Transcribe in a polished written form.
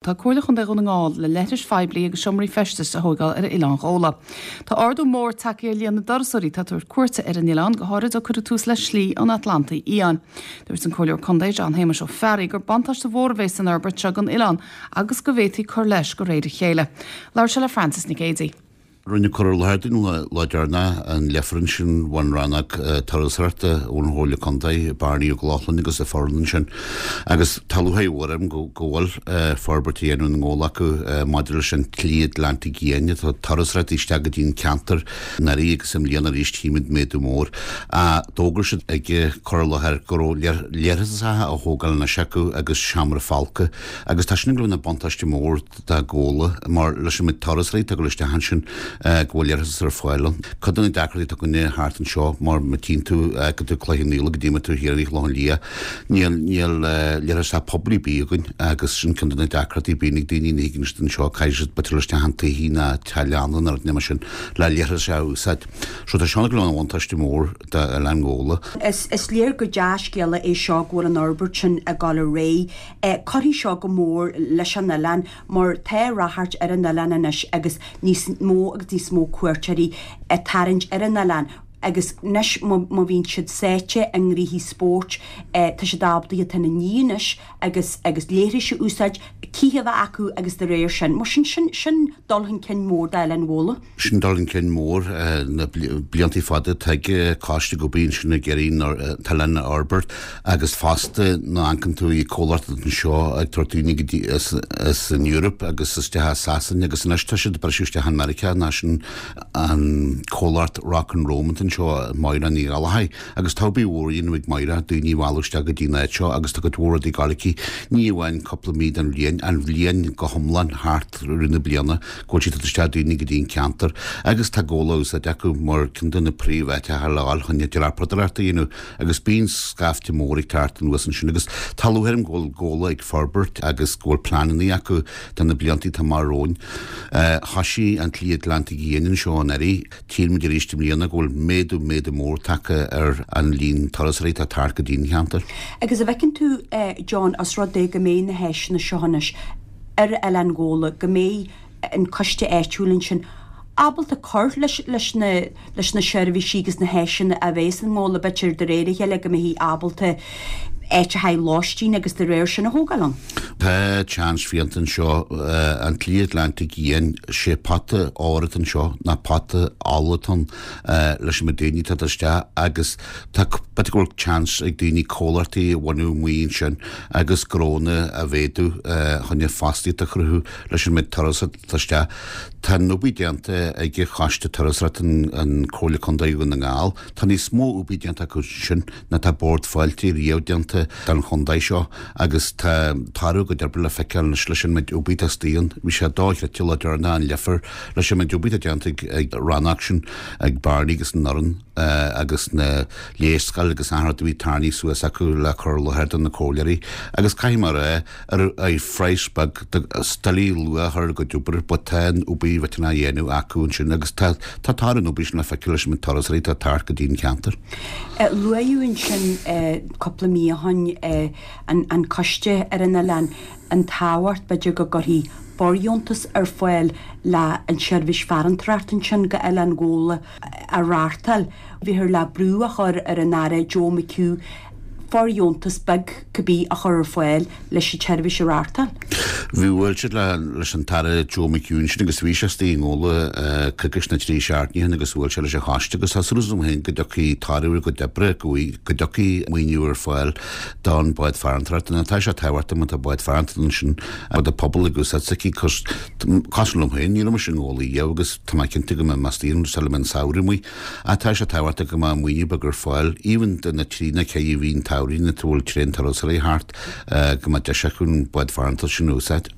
Tá Comhairle Chontae Dhún na nGall le leithris phoiblí agus seomraí feistis a thóigeáil ar Oileán Ghabhla. Tá ardú mór tagtha ar líon na dturasóirí atá ag tabhairt cuairte ar an oileán, go háirid ó cuireadh tús le Slí an Atlantaigh Fhiáin. Dúirt an Comhairleoir Contae John Shéamuis Ó Fearraigh gur buntáiste mhór a bheas san fhorbairt seo don oileán agus go bhféadfaí cur leis de réir a chéile. Labhair sé le Frances Nic Géadaigh. Rinneadh cur i láthair dúinn lá deireanach an leifear ansin ón rannóg turasóireachta ón Chomhairle Contae, Barney Ó Lochlainn agus a foireann ansin. Agus tá lúcháir mhór orm go bhfuil forbairt á dhéanamh i nGabhla acu maidir leis an tSlí Atlantaigh Fhiáin. Tá turasóireacht isteach go dtí an ceantar anuraidh agus i mbliana arís tchímid méadú mór. D'fhógair siad ag cur i láthair go raibh leithreasacha á thógáil anois acu agus seomra folctha agus tá sin ag dul ina buntáiste mór do Ghabhla, mar leis an méid turasóirí atá ag dul isteach ansin, go bhfuil leithreas ar fáil ann. Cuid de na deacrachtaí atá againne thart anseo, mar má tchíonn tú, go dtí Cloich Cheann Fhaola, go dtí má tú thiar i Clochán Liath, níl, níl leithreas poiblí ar bith againn agus sin ceann de na deacrachtaí a bíonn ag daoine, ní thigeann siad anseo, caithfidh siad b'fhéidir dul isteach chun tithe nó teach leanna nó rud mar sin le leithreas a úsáid. So tá seo ag dul ina bhuntáiste mór d'Oileán Ghabhla. Is léir gur dea-scéala é seo go bhfuil an fhorbairt sin ag dul ar aghaidh. Cuirfidh seo go mór leis an oileán mar tá ráchairt ar an oileán anois agus níos mó agus níos mó cuairteoirí ag tarraingt ar an oileán agus anois má bhíonn siad sáite i ngnóthaí spóirt tá siad ábalta iad féin a ní anois agus agus leithris a úsáid, cith a bheith acu agus de réir sin. Mar sin, sin, sin dul chun cinn mór d'Oileán Ghabhla. Sin dul chun cinn mór. Na blianta fada tá coiste ag obair ansin ag iarraidh an t-oileán a fhorbairt agus fosta nuair a amharcann tú ar comhlacht anseo ag tabhairt daoine go dtí as an Eoraip agus isteach as Sasain agus anois tá siad ag briseadh isteach in Meiriceá ná sin an comhlacht Rock and Roam anseo Máire Ní Ghallchóir agus tá obair mhór á dhéanamh ag Máire daoine a mhealladh isteach go dtí an áit seo agus tá cuid mhór rudaí ag dul aici ní amháin cúpla mí den bhliain, an bhliain go hiomlán thart rith na bliana. go bhfuil siad ag tabhairt isteach daoine go dtí an ceantar agus tá Gabhla á úsáid acu mar ceann de na príomháiteacha le dhul chun dreapadóireacht a dhéanamh agus bíonn scaifte mór ag teacht anuas ansin agus tá lúcháir orm go bhfuil Gabhla ag forbairt agus go bhfuil pleananna acu do na blianta atá amach romhainn. Thoisigh an tSlí Atlantaigh Fhiáin anseo anuraidh. Tchíonn muid arís i mbliana go bhfuil méadú, méadú mór tagtha ar an líon turasóirí atá ag teacht go dtí an cheantar. Agus an bhfeiceann tú, John, os rud é go mbeidh na háiseanna seo anois, ar Oileán Ghabhla go mbeidh an coiste áitiúil ansin ábalta cur leis leis na leis na seirbhísí agus na háiseanna a bheas i nGabhla b'fhéidir de réir a chéile go mbeifí ábalta áit le haghaidh lóistín agus de réir sin a thógáil ann. Tá seans fiánta anseo, an tSlí Atlantaigh Fhiáin, sé pota óir atá anseo ná pota ola atá ann leis an méid daoine atá ag dul isteach agus Tá, b'fhéidir go bhfuil seans ag daoine comhlachtaí a bhunú amuigh ansin agus gnónna a mhéadú chun fostaíocht a chruthú leis an méid turasóirí atá isteach. Tá an obair déanta ag Coiste Turasóireachta an Comhairle Contae Dhún na nGall. Tá níos mó obair déanta acu sin ná tá Bord Fáilte riamh déanta don chontae seo agus tá toradh a gcuid oibre le feiceáil anois leis an méid obair atá istigh ann. Bhí sé dochreidte lá deireanach an Leifear leis an méid obair atá déanta ag rannóg sin ag Barney agus an fhoireann. agus na léarscáil agus achan rud a bhí tarraingthe suas acu le cur i láthair do na comhairleoirí agus caithfidh mé a rá ar ar phraghas beag is doiligh luach a chur ar a gcuid obair but tá an obair mhillteanach á dhéanamh acu ansin agus tá tá toradh an obair sin le feiceáil leis an méid turasóirí atá ag teacht go dtí an ceantar. Luaíodh ansin cúpla mí ó shin an coiste ar an oileán, an tábhacht b'fhéidir go gcuirfí fóirdheontas ar fáil le an tseirbhís farantóireachta ansin go Oileán Ghabhla. a reáchtáil. Bhíothar le brú a chur ar an Aire Joe McHugh fóirdheontas beag cibé a chur ar fáil leis an tseirbhís a reáchtáil. Bhí bhuail siad le leis an tAire Joe McHugh ansin agus bhí sé istigh i nGabhla coicís nó trí seachtaine ó shin agus bhuail sé leis an choiste agus tá súil agam féin go dtiocfaidh toradh ar a gcuid oibre go go dtiocfaidh maoiniú ar fáil don bád farantóireachta. Tá sé tábhachtach má tá bád farantóireachta ansin do pobal ag úsáid s'aici cosúil liom féin ní raibh mise i nGabhla riamh agus Tá mé cinnte go mbeidh mé istigh ann sula mbeidh an samhradh amuigh. Ach tá sé tábhachtach go mbeadh maoiniú beag ar fáil, even do na trí nó ceithre mhí an tsamhraidh nuair atá bhfuil tréan turasóirí thart, go mbeadh deis acu an bád farantóireachta sin a úsáid.